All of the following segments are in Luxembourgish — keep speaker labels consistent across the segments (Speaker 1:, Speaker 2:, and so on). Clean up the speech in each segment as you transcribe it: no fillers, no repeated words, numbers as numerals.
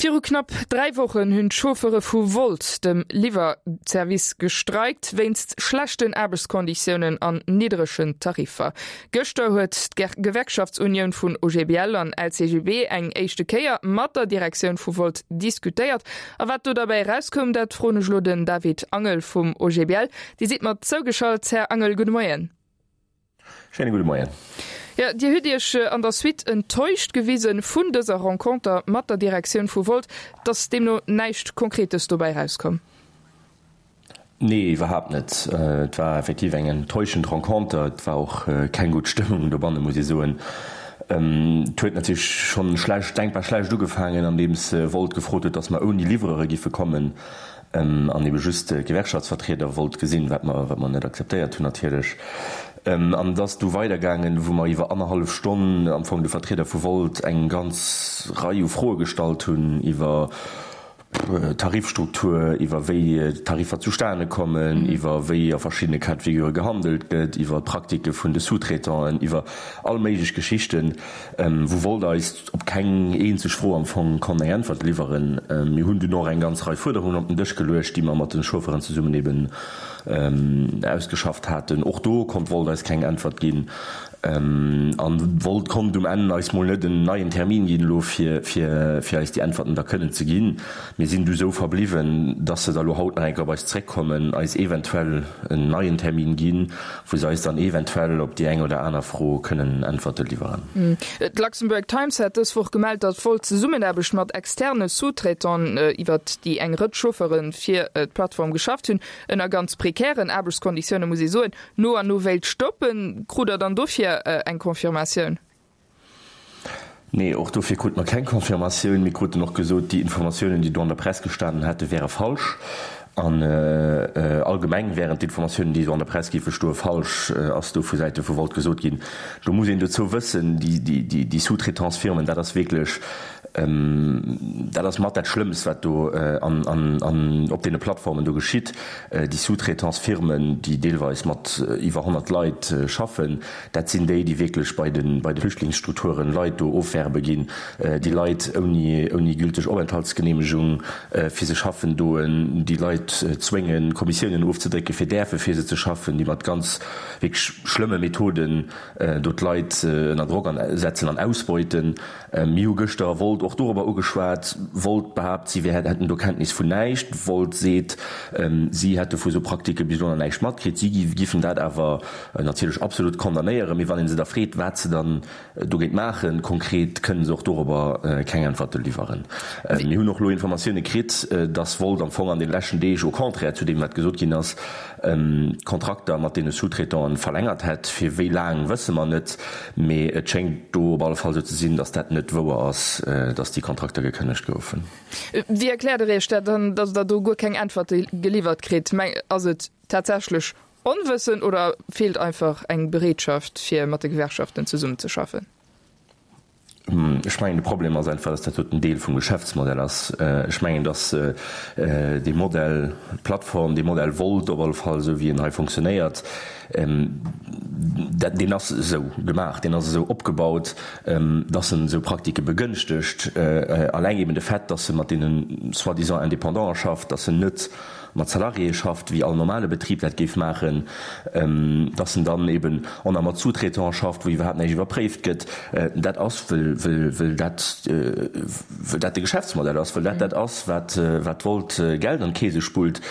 Speaker 1: Viru knapp 3 Wochen hunn d'Chauffeure vu Wolt, dem Liwwerservice, gestreikt wéinst schlechten Aarbechtskonditiounen an niddregen Tariffer. Gëschter huet d'Gewerkschaftsunioun vun OGBL an LCGB eng éischte Kéier mat der Direktioun vu Wolt diskutéiert. A wat do derbäi erauskoum, dat froen ech elo den David Angel vum OGBL. Dir sidd mer zougeschalt, Här Angel, gudde Moien.
Speaker 2: Schéine gudde Moien.
Speaker 1: Jo, Dir hutt Iech an der Suite enttäuscht gewisen vun dëser Renconter mat der Direktioun vu Wolt. Et ass deemno näischt Konkretes dobäi erauskomm?
Speaker 2: Nee, iwwerhaapt net. Et war effektiv eng enttäuschend Renconter. Et war och keng gutt Stëmmung dobanne, muss ee soen. Et huet natierlech schonn schlecht, denkbar schlecht ugefaangen, andeems Wolt gefrot huet, datt mer ouni Livreure giffe kommen an ebe just d'Gewerkschaftsvertrieder wollt gesinn, wat mer, wat mer net akzeptéiert hunn natierlech. An et ass du weidergaangen, wou mer iwwer annerhallef Stonn am Fong de Vertrieder vu Wolt eng ganz Rei u Froe gestallt hunn iwwer Tarifstruktur, iwwer wéi d'Tariffer zustane kommen, iwwer wéi a verschiddene Cas de figure gehandelt gëtt, iwwer d'Praktike vun de Sous-traitanten, iwwer all méiglech Geschichten, wou Wolt eis op keng eenzeg Fro am Fong konnt eng Äntwert liwweren. Mir hunn dunn och eng ganz Rei Fuerderungen op den Dësch geluecht, déi mer mat de Chauffeuren zesummen eben ausgeschafft haten. Och do konnt Wolt eis keng Äntwert ginn. An Wolt konnt um Enn eis mol net en neien Termin ginn elo, fir fir eis déi Äntwerten da kënnen ze ginn. Mir sinn du sou verbliwwen, dass se da lo haut nach eng Kéier op eis zréckkommen, eis eventuell en neien Termin ginn, wou se eis dann eventuell op déi eng oder aner Fro kënnen Äntwerte liwweren.
Speaker 1: D'Luxembourg Times hat dës Woch gemellt, datt Wolt d'Zesummenaarbecht mat externe Sous-traitanten, iwwert déi eng Rëtsch Chauffeure fir d'Plattform geschafft hunn, ënner ganz prekären Aarbechtskonditioune muss ee soen, no an no wéilt stoppen. Krut Der dann dofir eng Confirmatioun?
Speaker 2: Nee, och dofir krute mer keng Confirmatioun. Mir kruten och gesot, déi Informatiounen, déi do an der Press gestanen hätten, wäre falsch. An allgemeng wären d'Informatiounen, déi do an der Press géife stoen, falsch, ass do vu Säite vu Volt gesot ginn. Do muss een dozou wëssen, déi Sous-traitance-Firmen, dat ass wierklech, dat ass mat dat Schlëmmst, wat do an op deene Plattformen do geschitt. Déi Sous-traitance-Firmen, déi deelweis mat iwwer 100 Leit schaffen, Dat sinn déi, déi wierklech bei de bei de Flüchtlingsstrukturen Leit do ofwerbe ginn, déi Leit ouni ouni gülteg Openthaltsgeneemegung fir se schaffen doen, déi Leit zwéngen, Kommissiounen ofzedrécken, fir däerfe fir se ze schaffen, déi mat ganz wierklech schlëmme Methoden do d'Leit ënner Drock an setzen an ausbeuten. Mir hu gëschter Volt och dorobber ugeschwat. Volt behaapt, si wär hätten do Kenntnis vun näischt. Volt seet, si hätte vu sou Praktike bis elo nach näischt matkritt. Si giffen dat awer natierlech absolut condamnéieren. Mee wann ee se da freet, wat se dann dogéint maachen, konkret, kënne se och dorobber keng Äntwerte liwweren. Mir hunn och elo Informatioune kritt, dass Volt am Fong an de leschten Deeg, au contraire zu deem wat gesot ginn ass, d'Kontrakter mat deene Sous-traitanten verlängert hätt. Fir wéi laang, wësse mer net. Mee et schéngt do op alle Fall esou ze sinn, datt dat net wouer ass, datt déi Kontrakter gekënnegt goufen.
Speaker 1: Wéi erkläert Der Iech dat dann, datt Der do guer keng Äntwerte geliwwert kritt? Ass et tatsächlech Onwëssen oder feelt einfach eng Bereetschaft, fir mat de Gewerkschaften zesummenzeschaffen?
Speaker 2: Ech mengen, de Problem ass einfach, dass dat doten Deel vum Geschäftsmodell ass. Ech mengen, dass dee Modell Plattform, dee Modell Wolt op alle Fall, esou wéi en hei fonctionnéiert, dat, deen ass esou gemaach, deen ass esou opgebaut, dass en esou Praktike begënschtegt. Alleng eben de Fait, dass e mat deene soi-disant Indépendanten schafft, dass en net mat Salariéë schafft, wéi all normale Betrib dat géif maachen, dass en dann eben och nach mat Sous-traitants schafft, wou iwwerhaapt näischt iwwerpréift gëtt, dat ass, wëll, wëll, wëll dat, wëll dat de Geschäftsmodell ass, wëll dat dat ass, wat, wat Wolt Geld an d'Keese spullt.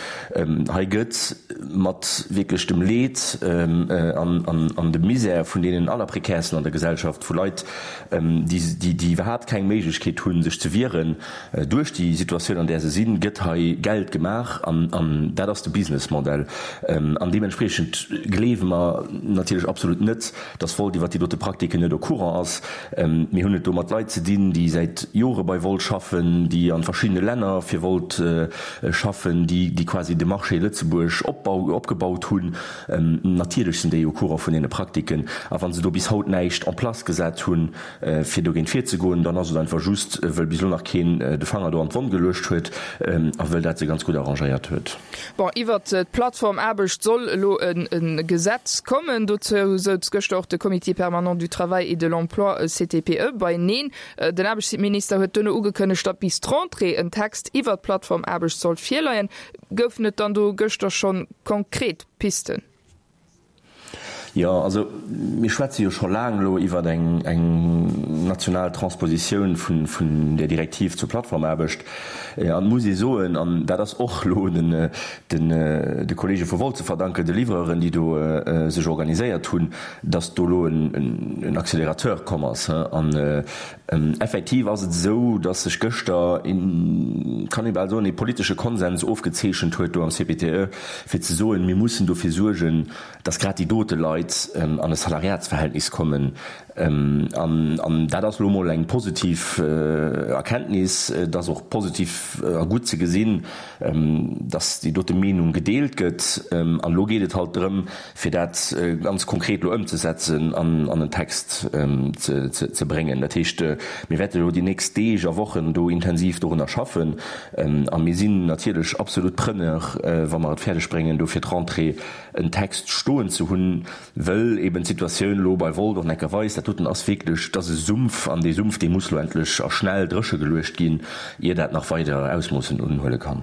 Speaker 2: Hei gëtt mat wierklech dem Leed an, an, an dem Misär vun deenen Allerprekärsten an der Gesellschaft, vu Leit, déi, déi, déi iwwerhaapt keng Méiglechkeet hunn, sech ze wieren, Duerch déi Situatioun, an där se sinn, gëtt hei Geld gemaach an dat ass de Businessmodell. An deementspriechend gleewe mer natierlech absolut net, dass Volt iwwert déi dote Praktiken net au courant ass. Mir hunn et do mat Leit ze dinn, déi säit Jore bei Volt schaffen, déi a verschiddene Länner fir Volt schaffen, déi quasi de Marché Lëtzebuerg opgebaut hunn. Natierlech sinn déi au courant vun deene Praktiken. A wa se do bis haut näischt en place gesat hunn, Fir dogéint virzegoen, dann ass et einfach just, wëll bis elo nach keen de Fanger do an d'Wonn geluecht huet a wëll dat se ganz gutt arrangéiert huet. huet.
Speaker 1: Bon, iwwert d'Plattformaarbecht soll elo e Gesetz kommen. Dozou souz gëschter och de Comité permanent du travail et de l'emploi, CTPE, beieneen. Den Aarbechtsminister huet duerno ugekënnegt, datt bis d'Rentrée en Text iwwert d'Plattformaarbecht sollt virleien. Goufen et dann do gëschter schonn konkret Pisten?
Speaker 2: Jo, also mir schwätze jo scho laang elo iwwer eng national Transpositioun vun där Direktiv zur Plattformaarbecht. An et muss ee soen, an dat ass och elo de Kollege vu Wolt ze verdanken, de Livreuren, déi do sech organiséiert hunn, datt do elo en Accélérateur komm ass. An effektiv ass et esou, datt sech gëschter, kann ee bal soen, ee politesche Konsens ofgezeechent huet do am CPTE, fir ze soen, mir mussen dofir suergen, datt grad déi dote Leit an e Salariatsverhältnis kommen. An dat ass elo emol eng positiv Erkenntnis. Et ass och positiv a gutt ze gesinn, datt déi dote Meenung gedeelt gëtt. An elo geet et halt drëm, fir dat ganz konkret elo ëmzesetzen an an en Text ze bréngen. Dat heescht, mir wäerte elo déi nächst Deeg a Wochen do intensiv dorunner schaffen. A mir sinn natierlech absolut Preneur, wa mer et fäerdeg bréngen, do fir d'Rentrée en Text stoen ze hunn, wëll eben d'Situatioun elo bei Volt och necker weist, dat doten ass wierklech, dat ass e Sumpf an dee Sumpf, dee muss elo endlech a schnell dréche geluecht ginn, ier dat nach weider Ausmoossen unhuele kann.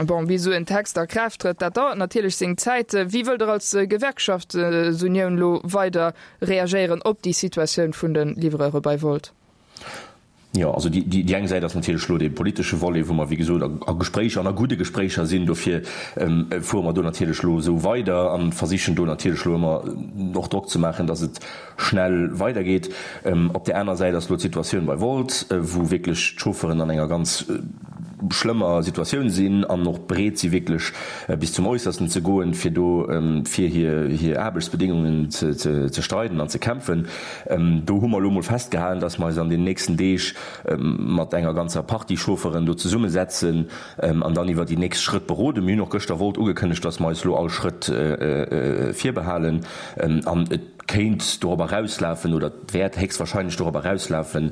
Speaker 1: Bon, bis esou en Text a Kraaft trëtt, dat dauert natierlech seng Zäit. Wéi wëllt Der als Gewerkschaftsunioun elo weider reagéieren op déi Situatioun vun de Livreure bei Wolt?
Speaker 2: Jo, also déi eng Säit ass natierlech elo dee politesche Volet, wou mer, wéi gesot, a Gespréicher an a gudde Gespréicher sinn. Dofir fuere mer do natierlech elo esou weider a versichen do natierlech elo ëmmer och Drock ze maachen, datt et schnell weidergeet. Op där aner Säit ass elo d'Situatioun bei Wolt, wou wierklech d'Chauffeuren an enger ganz schlëmmer Situatioun sinn an och bereet si wierklech bis zum Äussersten ze goen, fir do fir hir Aarbechtsbedéngungen ze streiden an ze kämpfen. Do hu mer elo mol festgehalen, dass mer eis an den nächsten Deeg mat enger ganzer Partie Chaufferen do zesummesetzen an dann iwwer déi nächst Schrëtt beroden. Mir hunn och gëschter Wolt ugekënnegt, dass mer eis elo all Schrëtt virbehalen an et kéint dorop erauslafen oder et wäert héchstwahrscheinlech dorop erauslafen,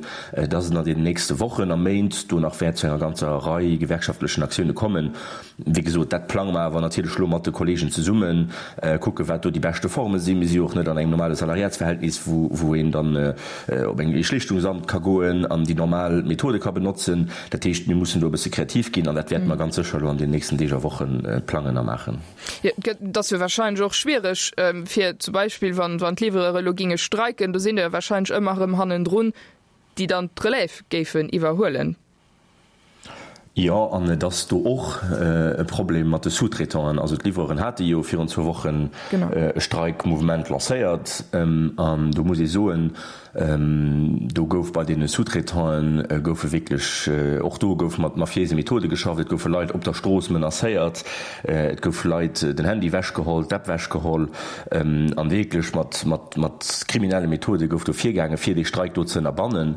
Speaker 2: dass et an den nächste Wochen a Méint do nach wäert zu enger ganzer Rei gewerkschaftlechen Aktioune kommen. Wéi gesot, dat plange mer awer natierlech elo mat de Kolleegen zesummen, kucke wat do déi beschte Forme sinn. Mir si jo och net an engem normale Salariatsverhältnis, wou een dann op eng Schlichtungsamt ka goen an déi normal Methode ka benotzen. Dat heescht, mir mussen do e bësse kreativ ginn an dat wäerte mer ganz sécher elo an den nächsten Deeg a Woche plangen a maachen.
Speaker 1: Jo, et ass jo wahrscheinlech och schwiereg, fir zum Beispill, wann d'Livreuren elo géinge streiken, do sinn der jo wahrscheinlech ëmmer erëm hannendrun, déi dann d'Relève géifen iwwerhuelen.
Speaker 2: Jo, an et ass do och e Problem mat de Sous-traitanten. Also d'Livreuren hate jo virun zwou Wochen e Streikmouvement lancéiert. An do muss ee soen, do gouf bei deene Sous-traitante goufe wierklech, och do gouf mat mafiéise Methode geschafft. Et goufe Leit op der Strooss menacéiert, et goufe Leit den Handy ewechgeholl, d'App ewechgeholl. An wierklech mat kriminelle Methode gouf do virgaangen, fir dee Streik do ze ënnerbannen.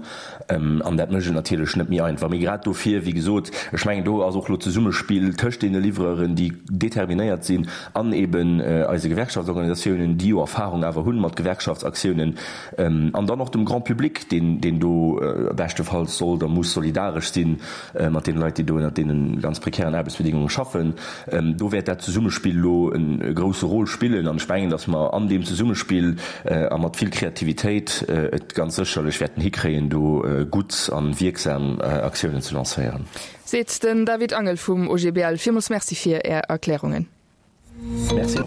Speaker 2: An dat mécht et natierlech net méi einfach. Mee grad dofir, wéi gesot, ech mengen, do ass och elo d'Zesummespill tëscht deene Livreuren, déi determinéiert sinn, an eben eise Gewerkschaftsorganisatiounen, déi jo Erfahrung awer hunn mat Gewerkschaftsaktiounen, an dann och dem Grand public, deen, deen do beschtefalls sollt a muss solidaresch si mat deene Leit, déi do ënnert deene ganz prekären Aarbechtsbedingunge schaffen. Do wäert dat Zesummespill elo e grousse Rôle spillen. An ech mengen, datt mer an deem Zesummespill a mat vill Kreativitéit et ganz sécherlech wäerten hikréien, do gutt a wierksam Aktiounen ze lancéieren.
Speaker 1: Seet den David Angel vum OGBL. Villmools Merci fir Är Erklärungen.
Speaker 2: Merci och.